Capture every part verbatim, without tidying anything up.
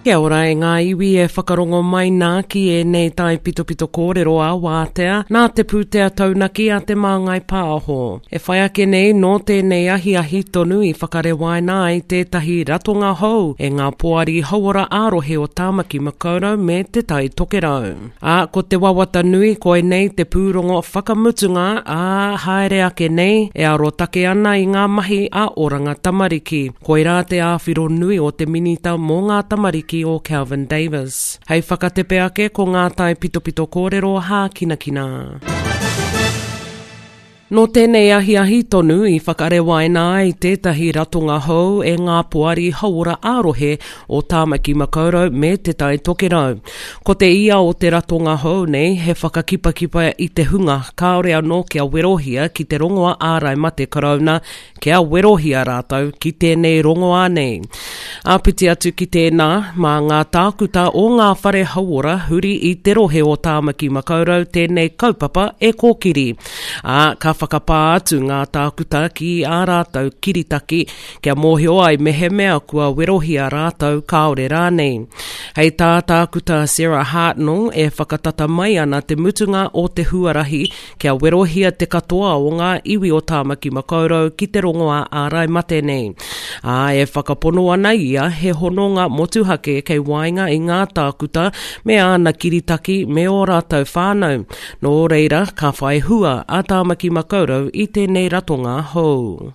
Kia ora e ngā iwi e whakarongo mai nā ki ēnei taipitopito kōrero a Wātea nā te pūtea taunaki a Te Māngai Pāho. E whai ake nei nō tēnei ahiahi tonu i whakarewaina ai tētahi ratonga hou e ngā poari hauora ā-rohe o Tāmaki Makaurau me Te Tai Tokerau. Ā, ko te wawata nui koinei te pūrongo whakamutunga ā haere ake nei e arotake ana i ngā mahi a Oranga Tamariki. Koirā te āwhiro nui o te Minita mō ngā tamariki o Kelvin Davis. Hei whakatepe ake ko ngā taipitopito kōrero hākinakina. Nō tēnei ahiahi tonu i whakarewaina ai tētahi ratonga hou e ngā poari hauora ā-rohe o Tāmaki Makaurau me Te Tai Tokerau. Ko te ia o te ratonga hou nei he whakakipakipa i te hunga kāore anō kia werohia ki te rongoa ārai mate karauna kia werohia rātou ki tēnei rongoā nei. Āpiti atu ki tēnā, mā ngā tākuta o ngā whare hauora huri i te rohe o Tāmaki Makaurau tēnei kaupapa e kōkiri. Ā, ka whakapā atu ngā tākuta ki ā rātou kiritaki kia mōhio ai mehemea kua werohia rātou kāore rānei. Hei tā tākuta Sarah Hartnell e whakatata mai ana te mutunga o te huarahi kia werohia te katoa o ngā iwi o Tāmaki Makaurau ki te rongoā ārai mate nei. Ā, e whakapono ana ia he hononga motuhake kei waenga i ngā tākuta me āna kiritaki me ō rātou whānau. Nō reira, ka whai hua a Tāmaki Makaurau i tēnei ratonga hou.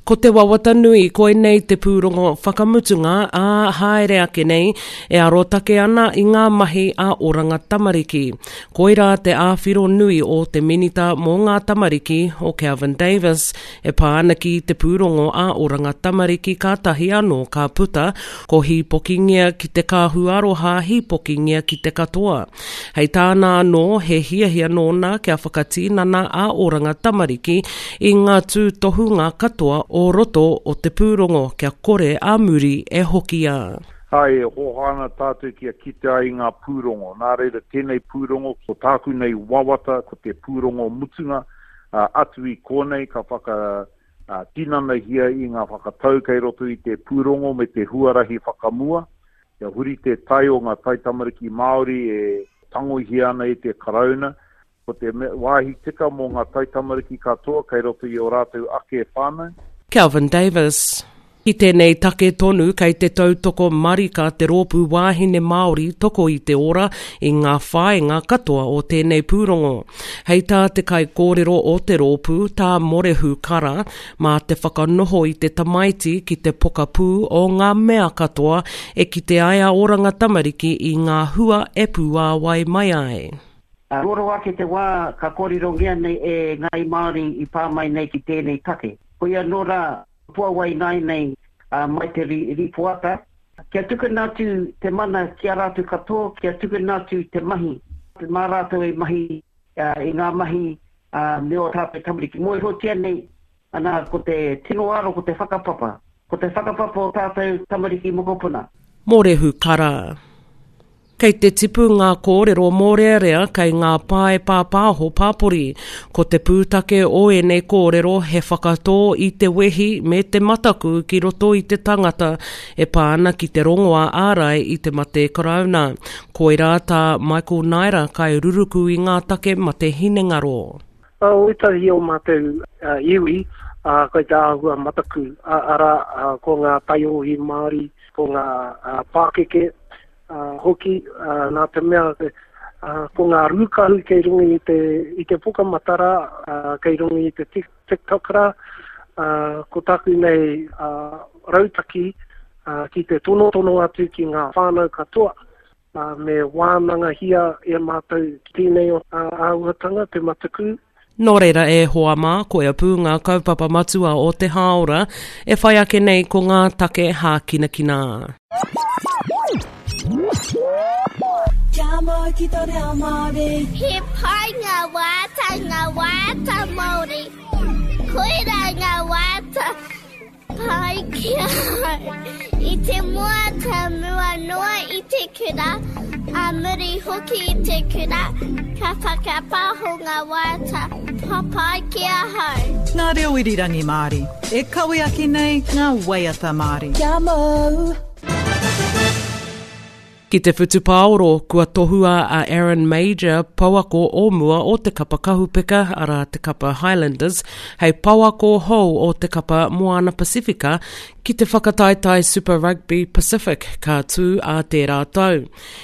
Ko te wawata nui koinei te pūrongo whakamutunga ā haere ake nei e arotake ana i ngā mahi a Oranga Tamariki. Koirā te āwhiro nui o te Minita mō ngā tamariki o Kelvin Davis e pā ana ki te pūrongo a Oranga Tamariki kātahi anō ka puta ko hīpokingia ki te kāhu aroha hīpokingia ki te katoa. Hei tāna anō he hiahia nōna kia whakatinana a Oranga Tamariki i ngā tūtohunga katoa o roto o te pūrongo kia kore a muri e hokia. Ai, e hoha ana tātou kia kite ai ngā pūrongo. Nā reira tēnei pūrongo, ko tāku nei wawata, ko te pūrongo mutunga, uh, atu i kōnei ka whaka uh, tinanahia i ngā whakatau kei roto i te pūrongo me te huarahi whakamua. Kia huri te tai o ngā taitamariki Māori e tangohia ana e te Karauna. Ko te wāhi tika mō ngā taitamariki katoa kei roto i o rātou ake whānau. Kelvin Davis. Ki tēnei take tonu kei te tautoko marika te rōpū wāhine Māori toko i te ora i ngā whāinga katoa o tēnei pūrongo. Hei tā te kaikōrero o te rōpū, tā Morehu Kara, mā te whakanoho i te tamaiti ki te pokapū o ngā mea katoa e kite ai a Oranga Tamariki i ngā hua e pūāwai mai ai. Roro ake te wā ka kōrerongia nei e Ngāi Māori i pā mai nei ki tēnei take. Koia nō rā, puawai nai nei uh, mai te ripoata, kia tukuna atu te mana ki a rātou katoa, kia tukuna atu te mahi. Mā rātou e mahi uh, i ngā mahi uh, me o tātou tamariki. Mōhiotia nei, ana, ko te tino aro, ko te whakapapa. Ko te whakapapa o tātou tamariki mokopuna. Morehu Kara. Kei te tipu ngā kōrero mōrearea kei ngā pae pāpāho pāpori. Ko te pūtake o ēnei kōrero he whakatō i te wehi me te mataku ki roto i te tangata e pā ana ki te rongoā ārai i te mate karauna. Koirā tā Michael Naira kai ruruku i ngā take mate hinengaro. O ētahi o mātou uh, iwi, uh, kei te āhua mataku, uh, arā, uh, ko ngā taiohi Māori, ko ngā uh, pākeke, Uh, hoki, uh, nā te mea uh, ko ngā rūkahu kei runga i te, i te pukamata rā, uh, kei runga i te TikTok rā, uh, ko taku nei uh, rautaki uh, ki te tonotono atu ki ngā whānau katoa, uh, me wānangahia e mātou tēnei o uh, āhuatanga, te mataku. Nō reira e hoa mā, koia pū ngā kaupapa matua o te hāora, e whai ake nei ko ngā take hākinakina. Kia mau ki tō reo Māori. He pai ngā waiata, ngā waiata Māori. Koirā ngā waiata pai ki ahau. I te mua ta mua noa i te kura, a muri hoki i te kura, ka whakapaho ngā waiata papai ki ahau. Ngā reo irirangi Māori, e kawe ake nei ngā waiata Māori. Kia mau! Ki te whutupaoro, kua tohua a Aaron Mauger, pouako o mua o te kapa kahupeka, arā te kapa Highlanders, hei pouako hou o te kapa Moana Pasifika ki te whakataetae Super Rugby Pacific ka tū ā tērā tau.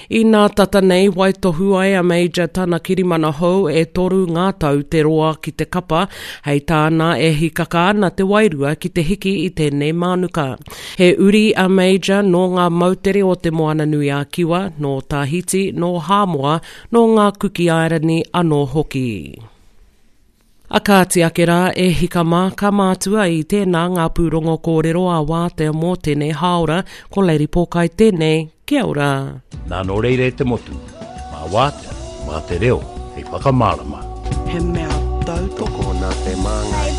I nā tata nei waitohu ai a Mauger tana kirimana hou e toru ngā tau te roa ki te kapa, hei tāna e hikaka ana te wairua ki te hiki i tēnei mānuka. He uri a Mauger nō ngā moutere o te Moana-nui-a-Kiwa, nō Tahiti, nō Hāmoa, nō ngā Kuki Airani anō hoki. A kāti ake rā e hika mā ka mātua i tēnā ngā pūrongo kōrero a wātea mō tēnei hāora, ko Lady Pōkai tēnei, kia ora. Nā nō reira e te motu, mā wātea, mā te reo, hei whakamārama. He mea tautoko nā te Māngai.